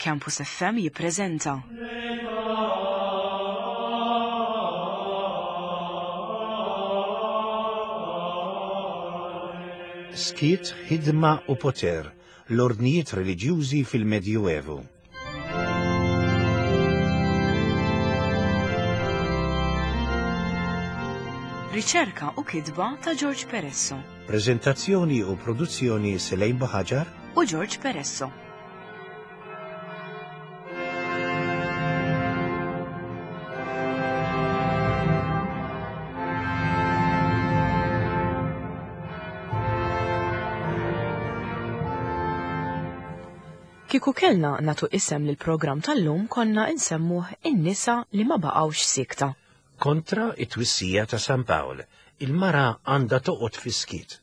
Campus FM jippreżenta. Skiet, ħidma u poter, l-ordnijiet reliġjużi fil-Medjuevu. Riċerka u kitba ta' George Peresso. Preżentazzjoni u produzzjoni Selejn Buħaġar u George Peresso. Kieku kellna nagħtu isem lill-programm tal-lum konna insemmuh In-nisa li ma baqgħux siekta. Kontra it-twissija ta' San Pawl, il-mara għandha toqgħod fis-skiet.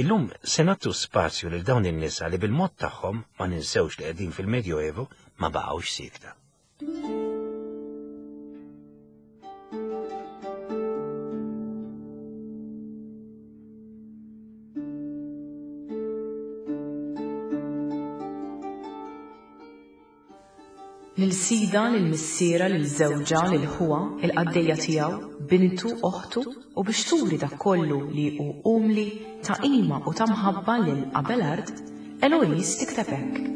Illum se nagħtu spazju lil dawn in-nisa li bil-mod tagħhom, ma ninsewx li qegħdin fil-Medjoevu, ma baqgħux siekta. Lil sida, lil missiera, lil żewġha, lil ħuha, il-qaddejja tiegħu, bintu, oħtu, u biex turi dak kollu li hu umli, ta' qima u ta' mħabba lil Abelard, Eloise tikteb hekk.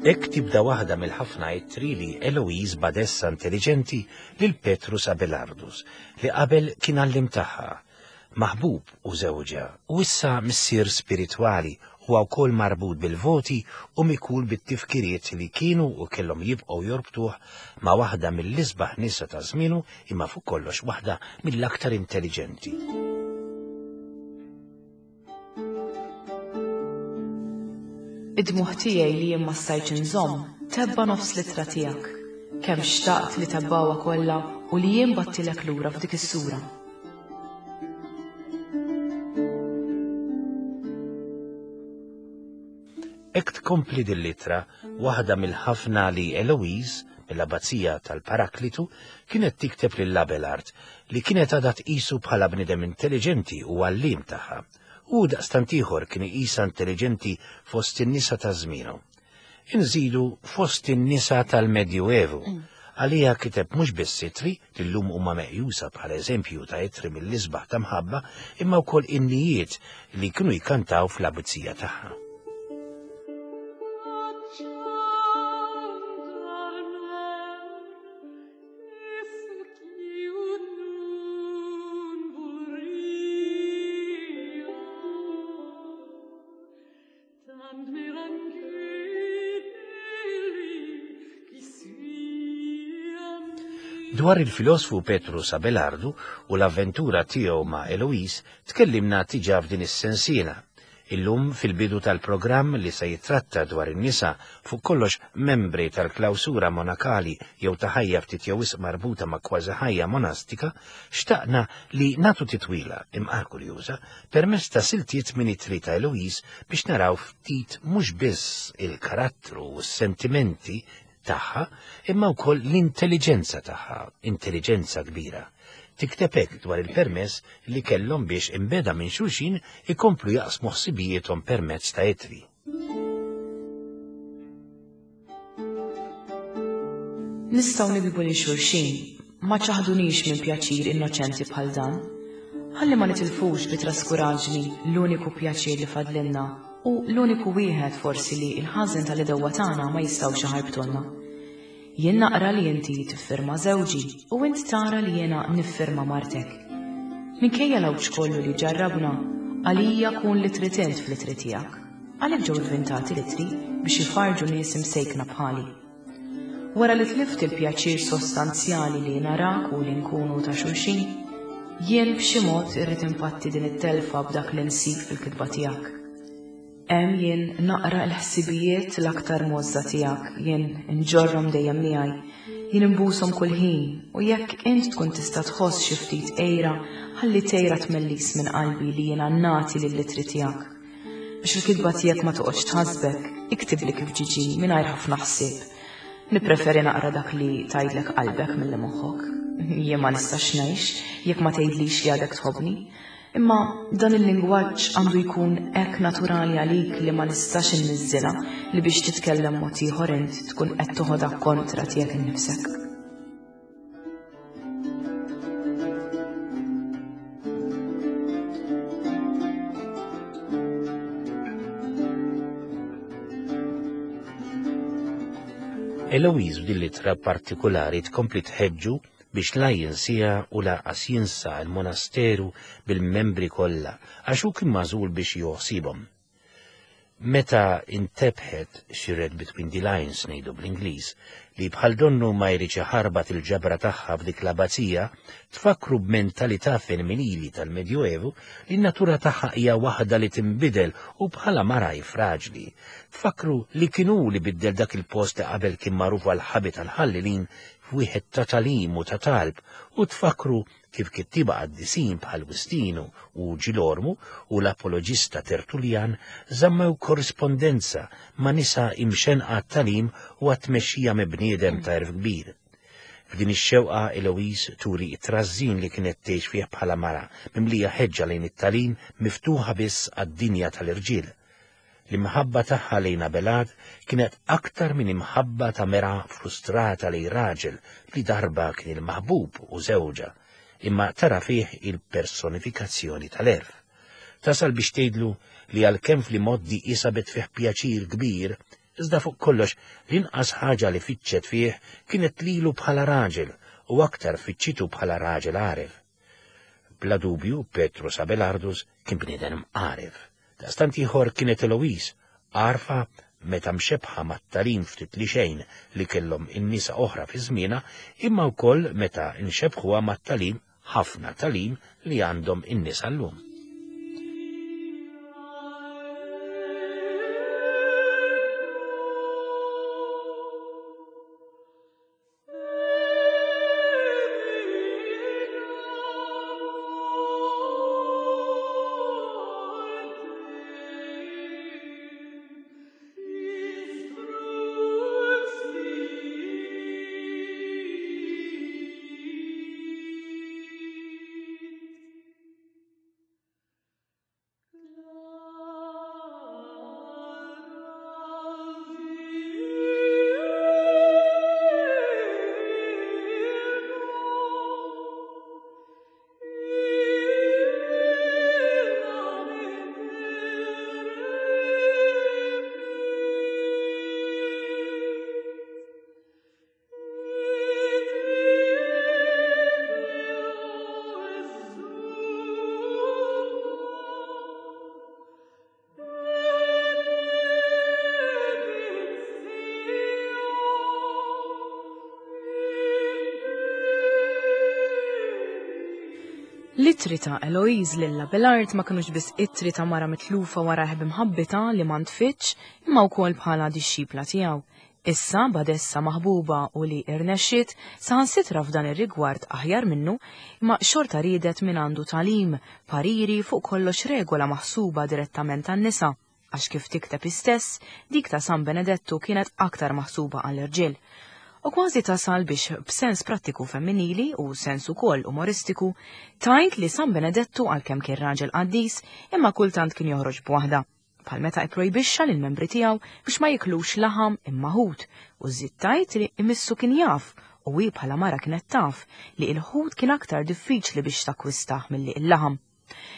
Hekk tibda waħda mill-ħafna ittri li Eloise badessa intelliġenti lil Petrus Abelardus li qabel kien għallim tagħha maħbub u żewġha, u issa missier spiritwali, huwa wkoll marbut bil-voti u mikul bit-tifkiriet li kienu u kellhom jibqgħu jorbtuh ma' waħda mill-isbaħ nisa ta' żmienu imma fuq kollox waħda mill-aktar intelliġenti. Id-dmugħ tiegħi li jien ma stajtx inżomm tebba' nofs l-ittra tiegħek. Kemm xtaqt li tebbgħuha kollha u li jien bagħtilek lura f'dik is-sura. Hekk tkompli din l-ittra, waħda mill-ħafna li Eloise, mill-Abbazija tal-Paraklitu, kienet tikteb lil Abelard, li kienet għadha tqisu bħala bniedem intelliġenti u għalliem tagħha. Hu daqstant ieħor kien iqisha intelliġenti fost in-nisa ta' żmienu. Inżidu fost in-nisa tal-Medjuevu. Għaliha kiteb mhux biss ittri, li llum huma meqjusa bħala eżempju ta' ittri mill-isbaħ ta' mħabba, imma wkoll innijiet li kienu jkantaw fl-abbazija tagħha. Dwar il-filosfu Petrus Abelardu u l-avventura tiegħu ma' Eloise tkellimna tiġa f'din is-sensiela. Illum fil-bidu tal-programm li se jittratta dwar in-nisa, fuq kollox membri tal-klawsura monakali jew ta' ħajja ftit jew wisq marbuta ma' kważi ħajja monastika, xtaqna li nagħtu titwila, imqar kurjuża, permezz ta' siltiet minn ittri ta' Eloise biex naraw ftit mhux biss il-karattru u s-sentimenti tagħha imma wkoll l-intelliġenza tagħha, intelliġenza kbira. Tikteb hekk dwar il-permess li kellhom biex imbeda minn xulxin ikomplu jaqsmu ħsibijiethom permezz ta' ittri. Nistgħu nikdbu lil xulxin, ma ċaħdunix minn pjaċir innoċenti bħal dan. Ħalli ma nitilfux bi traskuraġni l-uniku pjaċir li fadlilna u l-uniku wieħed forsi li l-ħażen tal-għedewwa tagħna ma jistgħux iħarbtulna. Jien naqra li inti tiffirma żewġi u int tara li jiena niffirma martek. Minkejja l-għawġ kollu li ġarrabna, għalija kun li trid int fl-ittri tiegħek. Għalhekk ġew ivvintati l-ittri biex ifarrġu nies imsejkna bħali. Wara li tlift il-pjaċir sostanzjali li narak u li nkunu ta' xulxin, jien b'xi mod irrid impatti din it-telfa b'dak li nsib fil-kitba tiegħek. Hemm jien naqra l-ħsibijiet l-aktar mgħożża tiegħek, jien inġorrhom dejjem miegħi, jien inbushom kull ħin, u jekk int tkun tista' tħoss xi ftit għira, ħalli tgħira tmellis minn qalbi li jiena nagħti lill-ittri tiegħek. Biex il-kitba tiegħek ma toqgħodx tħassbek, iktibli kif ġiġi mingħajr ħafna ħsieb. Nippreferi naqra dak li tgħidlek qalbek milli moħħok. Jien ma nistax ngħix jekk ma tgħidlix li għadek tħobbni. Imma dan il-lingwaġġ għandu jkun hekk naturali għalik li ma nistax inniżżilha li biex titkellem mod ieħor int tkun qed toħodha kontra tiegħek innifsek. Eloise f'din l-ittra partikulari tkompli tħeġġu biex la jinsiha u lanqas jinsa l-monasteru bil-membri kollha għax hu kien magħżul biex joħsibhom. Meta intebħet, she read between the lines ngħidu bl-Ingliż, li bħal donnu ma jridx iħarbat il-ġabra tagħha f'dik l-abbazija, tfakkru b'mentalità femminili tal-Medjuevu li n-natura tagħha hija waħda li tinbidel u bħala mara hi fraġli. Tfakkru li kien hu li biddel dak il-post li qabel kien magħruf għall-ħabi tal-ħallelin f'wieħed ta' tagħlim u ta' talb u tfakkru kif kittieba qaddisin bħal Wistinu u Ġilormu u l-apoloġista Tertuljan żammew korrispondenza ma' nisa imxennqa għat-tagħlim u għat-tmexxija minn bniedem ta' għerf kbir. F'din ix-xewqa Eloise turi t-trażżin li kienet tgħix fih bħala mara, mimlija ħeġġa lejn it-tagħlim miftuħa biss għad-dinja tal-irġiel. L-imħabba tagħha lejn Abelard kienet aktar minn imħabba ta' mera frustrata lejn raġel li darba kien il-maħbub u żewġha, imma tara fih il-personifikazzjoni tal-għerf. Tasal biex tgħidlu li għalkemm fl-imgħoddi hi sabet fih pjaċir kbir, iżda fuq kollox l-inqas ħaġa li fittxet fih kienet lilu bħala raġel u aktar fittxitu bħala raġel għaref. Bla dubju Petrus Abelardus kien bniedem għaref. Daqstant ieħor kienet Eloise, għarfa meta mxebbħa mat-tagħlim ftit li xejn li kellhom in-nisa oħra fi żmienha, imma wkoll meta nxebbħuha mat-tagħlim, ħafna tagħlim, li għandhom in-nisa llum. L-ittri ta' Eloise lil Abelard ma kinux biss ittri ta' mara mitlufa wara ħbimħabbitha li ma ntfitx, imma wkoll bħala dixxipla tiegħu. Issa, badessa maħbuba u li irnexxiet, saħansitra f'dan ir-rigward aħjar minnu, imma xorta riedet mingħandu tagħlim, pariri, fuq kollox regola maħsuba direttament għan-nisa, għax kif tikteb hi stess, dik ta' San Benedettu kienet aktar maħsuba għall-irġiel. U kważi tasal biex b'sens prattiku femminili u sens ukoll umoristiku, tgħid li San Benedettu għalkemm kien raġel qaddis, imma kultant kien joħroġ b'waħda. bħal meta ipprojbixxa lill-membri tiegħu biex ma jiklux laħam imma ħut, u żżid tgħid li imissu kien jaf, u hi bħala mara kienet taf, li il-ħut kien aktar diffiċli biex takkwistah milli il-laħam.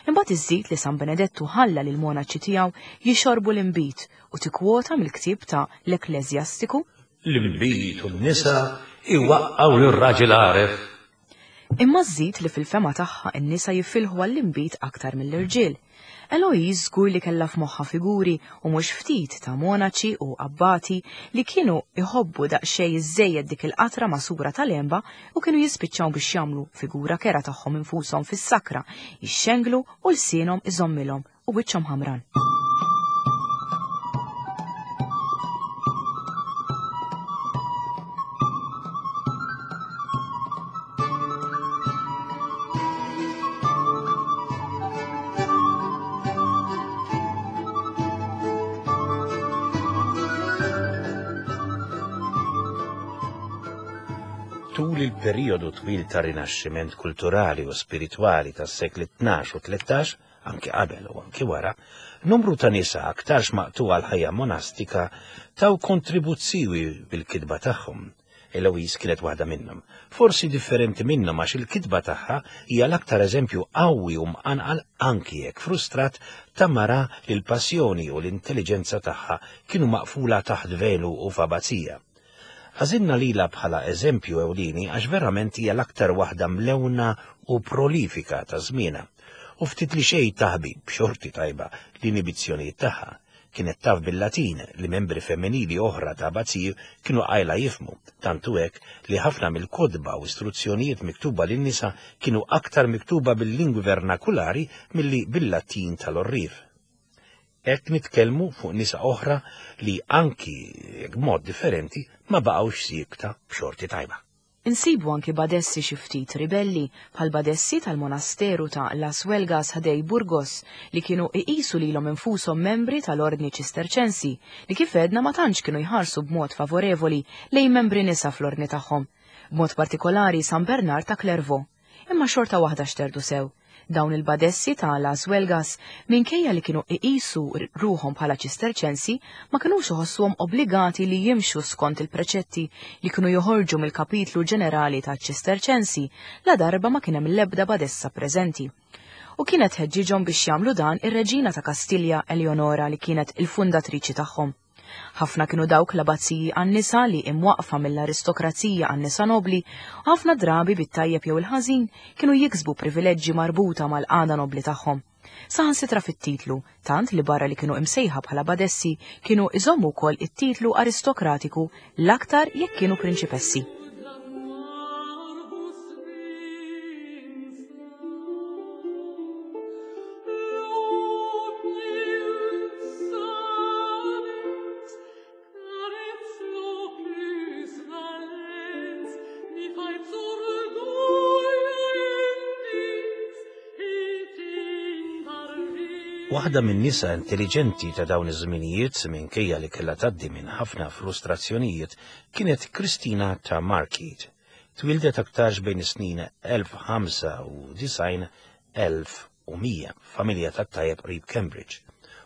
Imbagħad iżżid li San Benedettu ħalla lill-monaċi tiegħu jixorbu l-inbid u tikkwota mill-ktieb ta' l-Ekkleżjastiku, L-inbid u n-nisa jwaqqgħu lir-raġel għaref. Imma żżid li fil-fehma tagħha n-nisa jifilħu għall-inbid aktar mill-irġiel. Eloise żgur li kellha f'moħħha figuri, u mhux ftit, ta' monaċi u abbati li kienu jħobbu daqsxejn iżżejjed dik il-qatra magħsura tal-għenba u kienu jispiċċaw biex jagħmlu figura kerha tagħhom infushom fis-sakra, jixxenglu u lsienhom iżommilhom u wiċċhom ħamran. Tul il-perijodu twil ta' rinaxximent kulturali u spiritwali tas-sekli 12 u 13, anki qabel u anki wara, numru ta' nisa aktarx maqtugħa l-ħajja monastika taw kontribut siwi bil-kitba tagħhom. Eloise kienet waħda minnhom. Forsi differenti minnhom għax il-kitba tagħha hija l-aktar eżempju qawwi u mqanqal anki jekk frustrat ta' mara li l-passjoni u l-intelliġenza tagħha kienu maqfula taħt velu u f'abazija. Għażilna lilha bħala eżempju ewlieni għax verament hija l-aktar waħda mlewna u prolifika ta' żmienha, u ftit li xejn taħbi, b'xorti tajba, l-inibizzjonijiet tagħha. Kienet taf bil-Latin, li membri femminili oħra ta' abbaziji kienu qajla jifhmu, tant hu hekk li ħafna mill-kotba u istruzzjonijiet miktuba lin-nisa kienu aktar miktuba bil-lingwi vernakulari milli bil-Latin tal-għorrief. Hekk nitkellmu fuq nisa oħra li anki jekk b'mod differenti ma baqgħux siekta b'xorti tajba. Insibu anki badessi xi ftit ribelli, bħall-badessi tal-monasteru ta' Las Huelgas ħdej Burgos li kienu iqisu lilhom infushom membri tal-Ordni Ċisterċensi li kif għedna ma tantx kienu jħarsu b'mod favorevoli lejn membri nisa fl-ordni tagħhom, b'mod partikolari San Bernard ta' Clairvaux. Imma xorta waħda xterdu sew. Dawn il-badessi ta' Las Huelgas, minkejja li kienu iqisu ruħhom bħala Ċisterċensi, ma kinux iħossuhom obbligati li jimxu skont il-preċetti li kienu joħorġu mill-Kapitlu Ġenerali taċ-Ċisterċensi ladarba ma kien hemm l-ebda badessa preżenti. U kienet tħeġġiġhom biex jagħmlu dan ir-Reġina ta' Kastilja Eleonora li kienet il-fundatriċi tagħhom. Ħafna kienu dawk l-abazziji għan-nisa li imwaqqfa mill-aristokrazija għan-nisa nobbli u ħafna drabi bit-tajjeb jew il-ħażin kienu jiksbu privileġġi marbuta mal-qagħda nobbli tagħhom. Saħansitra fit-titlu, tant li barra li kienu imsejħa bħala badessi kienu iżommu wkoll it-titlu aristokratiku l-aktar jekk kienu prinċipessi. Waħda minn nisa intelligenti ta' dawn iż-żminijiet minkejja li kellha tgħaddi minn ħafna frustrazzjonijiet kienet Kristina ta' Markate. Twieldet aktarx bejn is-snin 1095 1100 f'familja tat-tajjeb qrib Cambridge.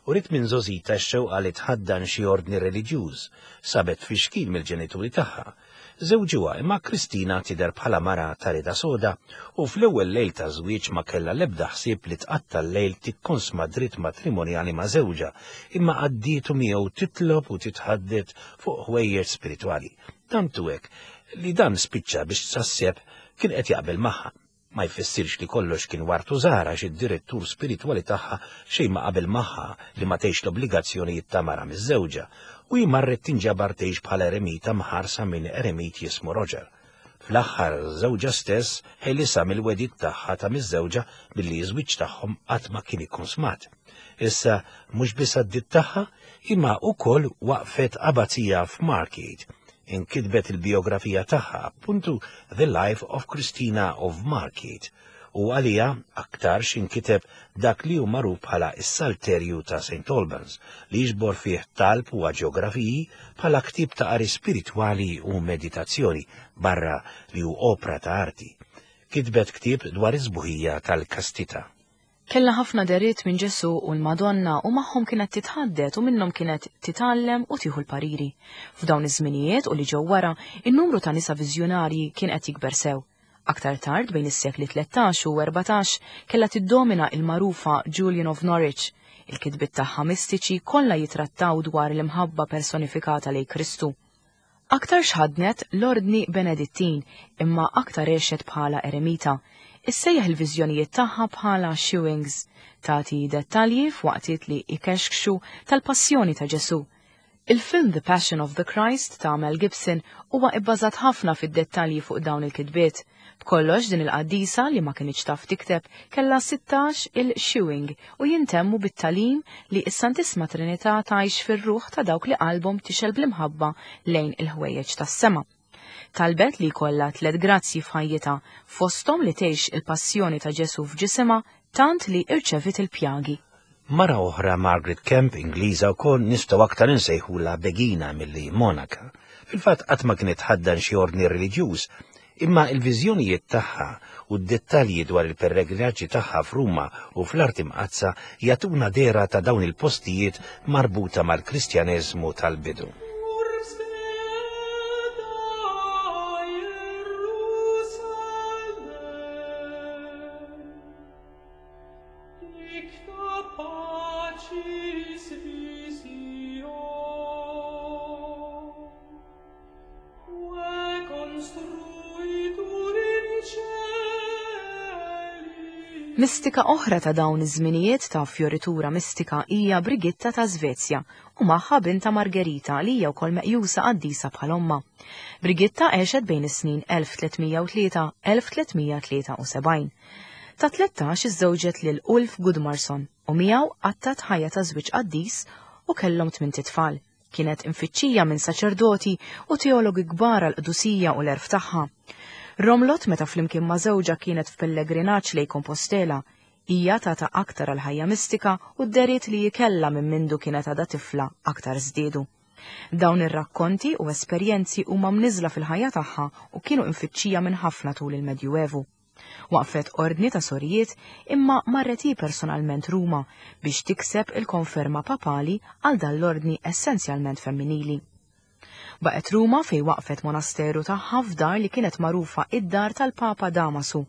Uriet minn żgħożitha x-xewqa li tħaddan xi ordni reliġjuż. Sabet tfixkil mill-ġenituri tagħha. Żewġuha imma Kristina tidher bħala mara ta' rieda soda u fl-ewwel lejl taż-żwieġ ma kellha l-ebda ħsieb li tqatta' l-lejl tikkonsma dritt matrimonjali ma' żewġha imma għaddietu miegħu titlob u titħaddet fuq ħwejjeġ spiritwali. Tant hu hekk li dan spiċċa biex tsasseb kien qed jaqbel magħha. Ma jfissirx li kollox kien wart u żahar għax id-direttur spiritwali tagħha xejn ma qabel magħha li ma tgħix l-obbligazzjonijiet ta' mara miżżewġa u hi marret tinġabar tgħix bħala eremita mħarsa minn eremit jismu Roger. Fl-aħħar żewġha stess ħelisha mill-wegħdiet tagħha ta' miżżewġa billi ż-żwieġ tagħhom qatt ma kien ikkonsmat. Issa mhux biss għaddiet tagħha, imma wkoll waqfet abazija f'Margate. Inkitbet il-bijografija tagħha, appuntu The Life of Christina of Margate, u għaliha aktarx inkiteb dak li hu magħruf bħala s-Salterju ta' St. Albans, li jiġbor fih talb u aġjografiji bħala ktieb ta' qari spiritwali u meditazzjoni, barra li hu opra ta' arti. Kitbet ktieb dwar is-sbuħija tal-kastità. Kellha ħafna dehriet minn Ġesù u l-Madonna u magħhom kienet titħaddet u minnhom kienet titgħallem u tieħu l-pariri. F'dawn iż-żminijiet u li ġew wara, in-numru ta' nisa viżjonarji kien qed jikber sew. Aktar tard, bejn is-sekli 13 u 14, kellha tiddomina il-magħrufa Julian of Norwich. Il-kitbiet tagħha mistiċi kollha jitrattaw dwar l-imħabba personifikata lejn Kristu. Aktarx ħaddnet l-Ordni Benedittin imma aktar għexet bħala eremita. Issejjaħ il-viżjonijiet tagħha bħala shewings. Tagħti dettalji f'waqtiet li jkexkxu tal-passjoni ta' Ġesù. Il-film The Passion of the Christ ta' Mel Gibson huwa ibbażat ħafna fid-dettalji fuq dawn il-kitbiet. B'kollox din il-qaddisa li ma kinitx taf tikteb kellha 16 il shewing u jintemmu bit-tagħlim li s-Santissma Trinità tgħix fir-ruħ ta' dawk li qalbhom tixgħel bl-imħabba lejn il-ħwejjeġ tas-sema. Talbet li jkollha tlett grazzji f'ħajjitha, fosthom li tgħix il-passjoni ta' Ġesù f'ġisimha tant li irċeviet il-pjagi. Mara oħra, Margaret Kemp, Ingliża wkoll, nistgħu aktar insejħulha begina milli monaka. Fil-fatt qatt ma kienet tħaddan xi ordni reliġjuż. Imma il-viżjonijiet tagħha u d-dettalji dwar il-pellegrinaġġi tagħha f'Ruma u fl-Art Imqaddsa jagħtuna dehra ta' dawn il-postijiet marbuta mal-Kristjaneżmu tal-bidu. Mistika oħra ta' dawn iż-żminijiet ta' fjoritura mistika hija Brigitta ta' Svezja u magħha binta Margherita li hija wkoll meqjusa qaddisa bħal ommha. Brigitta għexet bejn is-snin 1303-1373. Ta' 13 iżżewġet lil Ulf Gudmarsson u miegħu qattat ħajja ta' żwieġ qaddis u kellhom tmint itfal. Kienet imfittxija minn saċerdoti u teologi kbar għall-qdusija u l-għerf tagħha. Romlot meta flimkien ma' żewġha kienet f'pellegrinaġġ lejn Compostela. Hija tata aktar għall-ħajja mistika u d-dehriet li hi kellha minn mindu kienet għadha tifla aktar żdiedu. Dawn ir-rakkonti u esperjenzi huma mniżżla fil-ħajja tagħha u kienu imfittxija minn ħafna tul il-Medjuevu. Waqfet ordni ta' sorijiet imma marret hi personalment Ruma biex tikseb il-konferma papali għal dan l-ordni essenzjalment femminili. Baqgħet Ruma fejn waqfet monasteru tagħha f'dar li kienet magħrufa id-dar tal-Papa Damasu.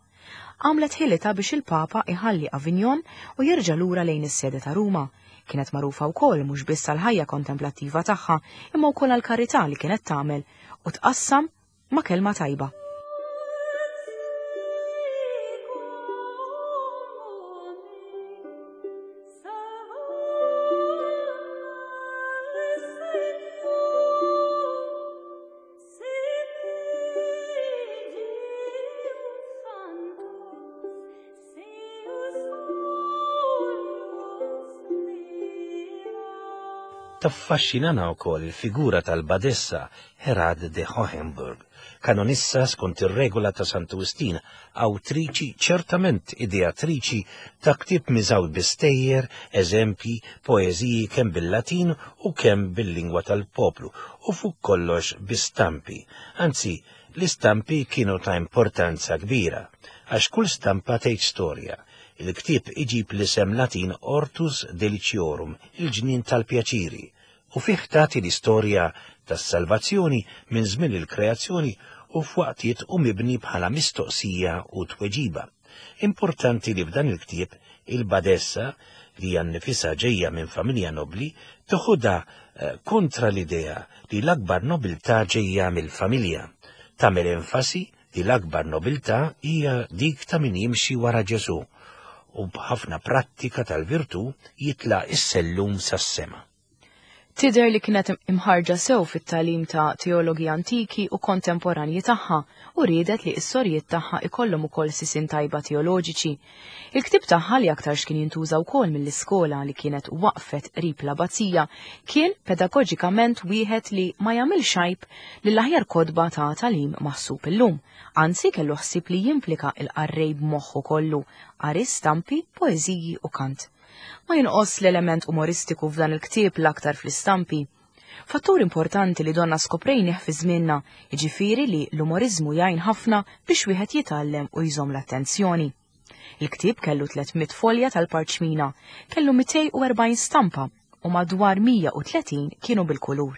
Għamlet ħilitha biex il-Papa iħalli Avignon u jerġa' lura lejn is-sede ta' Ruma. Kienet magħrufa wkoll mhux biss għall-ħajja kontemplattiva tagħha imma wkoll għall-karità li kienet tagħmel u tqassam ma' kelma tajba. Taffaxxinana wkoll il-figura tal-badessa Herad de Hohenburg, kanonissa skont ir-regola ta' Santu Wistin, awtriċi, ċertament ideatriċi, ta' ktieb miżgħud bi stejjer, eżempji, poeżiji kemm bil-Latin u kemm bil-lingwa tal-poplu, u fuq kollox bi stampi. Anzi, l-istampi kienu ta' importanza kbira, għax kull stampa tgħid storja. Il-ktieb iġib l-isem Latin Hortus Deliciorum, il-ġnien tal-pjaċiri, u fih tagħti l-istorja tas-salvazzjoni minn żmien il-kreazzjoni u f'waqtiet hu mibni bħala mistoqsija u tweġiba. Importanti li f'dan il-ktieb il-badessa, li hija nnifisha ġejja minn familja nobbli, toħodha eh, kontra l-idea li l-akbar nobiltà ġejja mill-familja. Tagħmel enfasi li l-akbar nobiltà hija dik ta' min jimxi wara Ġesù u b'ħafna prattika tal-virtù jitla' is-sellum sas-sema. Tidher li kienet imħarrġa sew fit-tagħlim ta' teologi antiki u kontemporanji tagħha u riedet li s-sorijiet tagħha ikollhom ukoll sisien tajba teoloġiċi. Il-ktieb tagħha li aktarx kien jintuża wkoll mill-iskola li kienet waqfet qrib l-abbazija kien pedagoġikament wieħed li ma jagħmilx għajb lill-aħjar kotba ta' tagħlim maħsub illum, anzi kellu ħsieb li jimplika l-qarrej b'moħħu kollu, qari stampi, poeżiji u kant. Ma jonqos l-element umoristiku f'dan il-ktieb l-aktar fl-istampi. Fattur importanti li donna skoprejnih fi żmienna, jiġifieri li l-umoriżmu jgħin ħafna biex wieħed jitgħallem u jżomm l-attenzjoni. Il-ktieb kellu 300 folja tal-parċmina, kellu 240 stampa u madwar 130 kienu bil-kulur.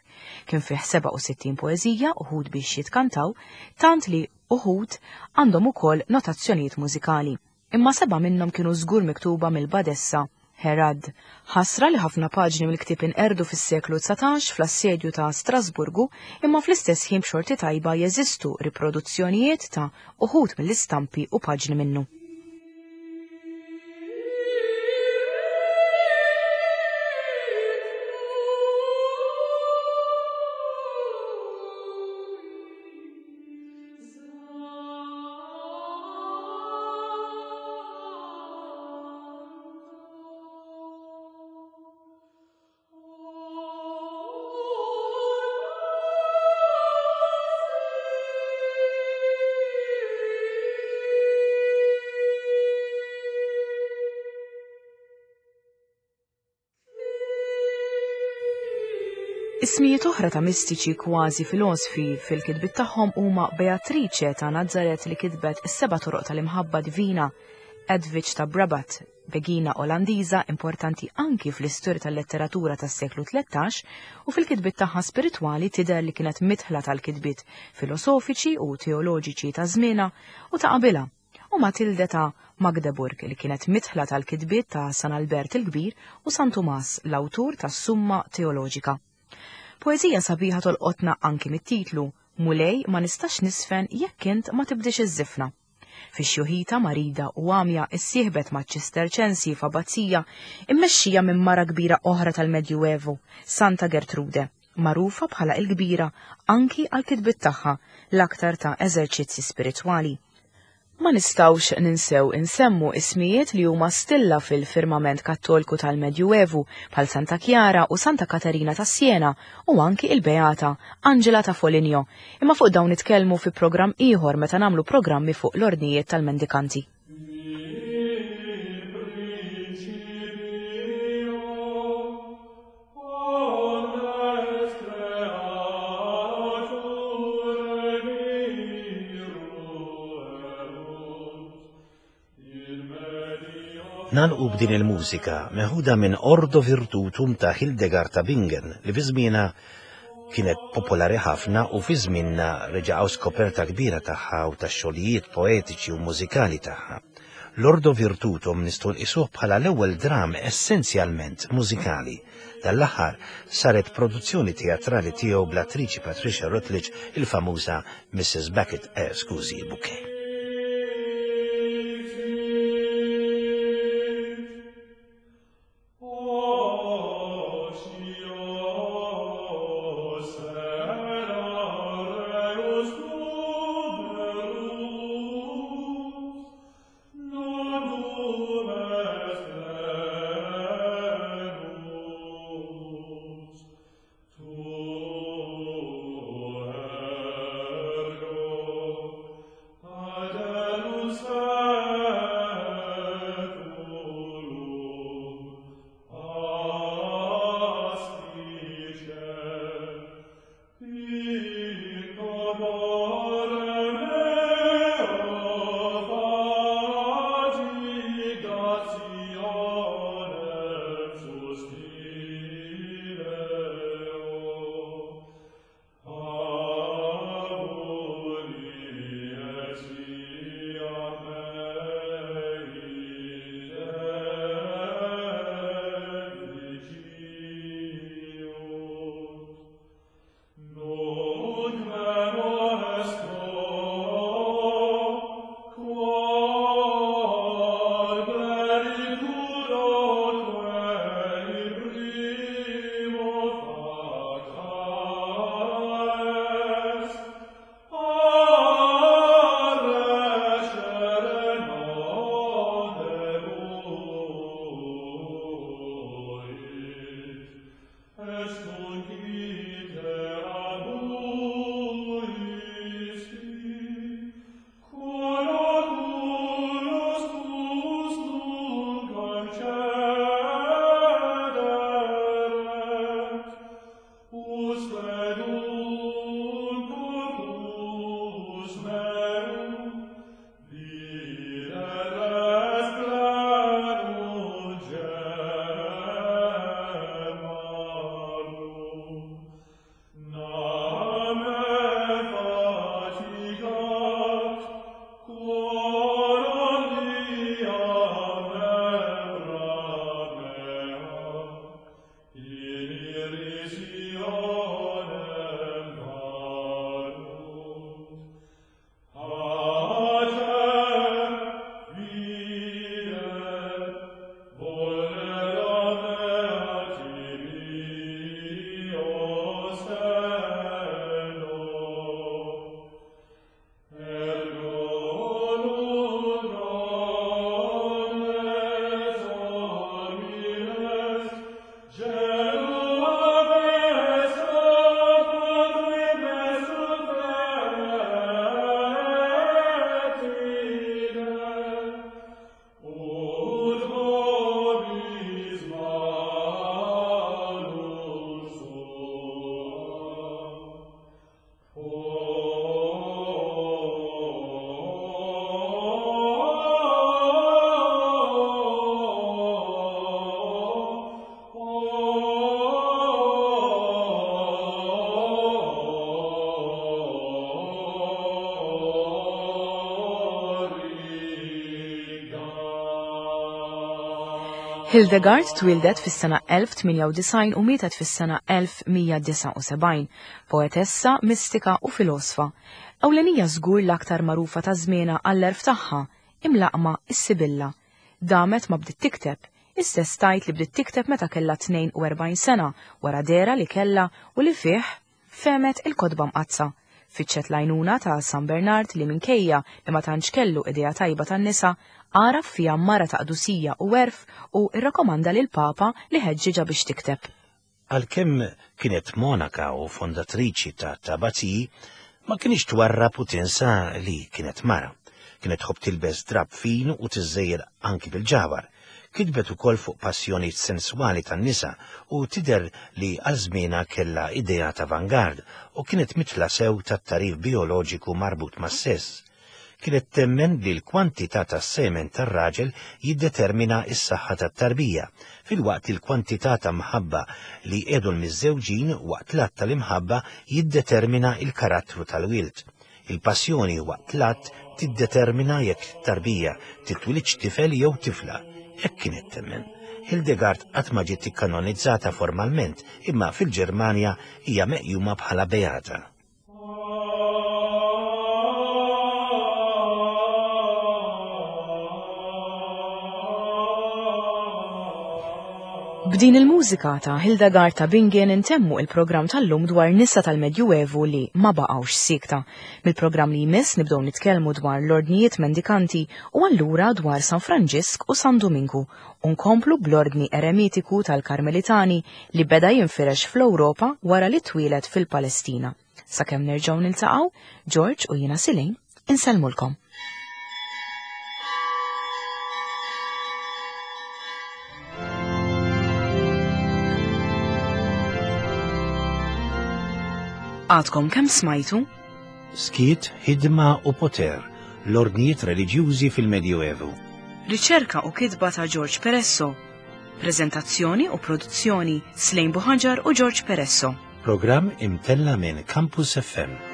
Kien fih 67 poeżija uħud biex jitkantaw, tant li uħud għandhom ukoll notazzjonijiet mużikali. Imma sebgħa minnhom kienu żgur miktuba mill-badessa Herad. Ħasra li ħafna paġni mill-ktieb inqerdu fis-seklu 19 fl-assedju ta' Strasburgu, imma fl-istess ħin b'xorti tajba jeżistu riproduzzjonijiet ta' uħud mill-istampi u paġni minnu. Ismijiet oħra ta' mistiċi kważi filosfi fil-kitbiet tagħhom huma Beatrice ta' Nazaret li kitbet is-seba' toroq tal-imħabba divina, Edwidge ta' Brabant, begina Olandiża importanti anki fl-istorja tal-letteratura tas-seklu 13 u fil-kitbiet tagħha spiritwali tidher li kienet midħla tal-kitbiet filosofiċi u teoloġiċi ta' żmienha u ta' qabilha u Matilde ta' Magdeburg li kienet midħla tal-kitbiet ta' San Albert il-Kbir u San Tumas, l-awtur tas-Summa Teoloġika. Poeżija sabiħa tolqotna anki mit-titlu, Mulej ma nistax nisfen jekk int ma tibdiex iż-żifna. Fi xjuħita marida u għamja issieħbet maċ-Ċisterċensi f'abbazija immexxija minn mara kbira oħra tal-Medjuevu, Santa Gertrude, magħrufa bħala il-Kbira anki għall-kitbiet tagħha l-aktar ta' eżerċizzji spiritwali. Ma nistgħux ninsew insemmu ismijiet li huma stilla fil-firmament Kattolku tal-Medjuevu bħal Santa Kjara u Santa Katerina ta' Siena u anki il-Beata Angela ta' Foligno, imma fuq dawn nitkellmu fi programm ieħor meta nagħmlu programmi fuq l-ordnijiet tal-mendikanti. Nagħlqu b'din il-mużika meħuda minn Ordo Virtutum ta' Hildegard ta' Bingen li fi żmienha kienet popolari ħafna u fi żmienna reġa' skoperta kbira tagħha u tax-xogħlijiet poetiċi u mużikali tagħha. L-Ordo Virtutum nistgħu nqisuh bħala l-ewwel dramm essenzjalment mużikali. Dan l-aħħar saret produzzjoni teatrali tiegħu bl-attriċi Patricia Routledge il-famuża Mrs. Beckett, eh, skużi, Bouquet. Hildegard twieldet fis-sena 1098 u mietet fis-sena 1179, poetessa, mistika u filosfa. Ewlenija żgur l-aktar magħrufa ta' żmienha għall-għerf tagħha, imlaqqma s-Sibilla. Damet ma bdiet tikteb, hi stess tgħid li bdiet tikteb meta kellha 42 sena wara dehra li kellha u li fih fehmet il-Kotba Mqaddsa. Fittxet l-għajnuna ta' San Bernard li minkejja li ma tantx kellu idea tajba tan-nisa, għaraf fiha mara ta' qdusija u għerf u rrakkomanda lill-Papa li ħeġġiġha biex tikteb. Għalkemm kienet monaka u fondatriċi ta' Tabazii, ma kinitx twarrab u tinsa li kienet mara. Kienet tħobb tilbes drapp fin u tiżżejjer anki bil-ġawhar. Kitbet ukoll fuq passjonijiet senswali tan-nisa u tidher li għal żmienha kellha ideat avangard u kienet midħla sew tat-tagħrif bijoloġiku marbut mas-sess. Kienet temmen li l-kwantità tas-semen tar-raġel jiddetermina s-saħħa tat-tarbija, filwaqt li l-kwantità ta' mħabba li jqiegħdu l-miżżewġin waqt l-att tal-imħabba jiddetermina l-karattru tal-wild. Il-passjoni waqt l-att tiddetermina jekk tarbija titwilidx tifel jew tifla. Hekk kienet temmen. Hildegard qatt ma ġiet ikkanonizzata formalment, imma fil-Ġermanja hija meqjuma bħala beata. B'din il-mużika ta' Hildegard ta' Bingen intemmu il-programm tal-lum dwar nisa tal-Medjuevu li ma baqgħux siekta. Mill-programm li jmiss nibdew nitkellmu dwar l-ordnijiet mendikanti u allura dwar San Franġisk u San Duminku u nkomplu bl-ordni eremitiku tal-Karmelitani li beda jinfirex fl-Ewropa wara li twieled fil-Palestina. Sakemm nerġgħu niltaqgħu, George u jiena Silejn insellmulkom. Għadkom kemm smajtu? Skiet, ħidma u poter, l-ordnijiet reliġjużi fil-Medjuevu. Riċerka u kitba ta' George Peresso. Preżentazzjoni u produzzjoni Slejn Buħaġar u George Peresso. Programm imtella' minn Campus FM.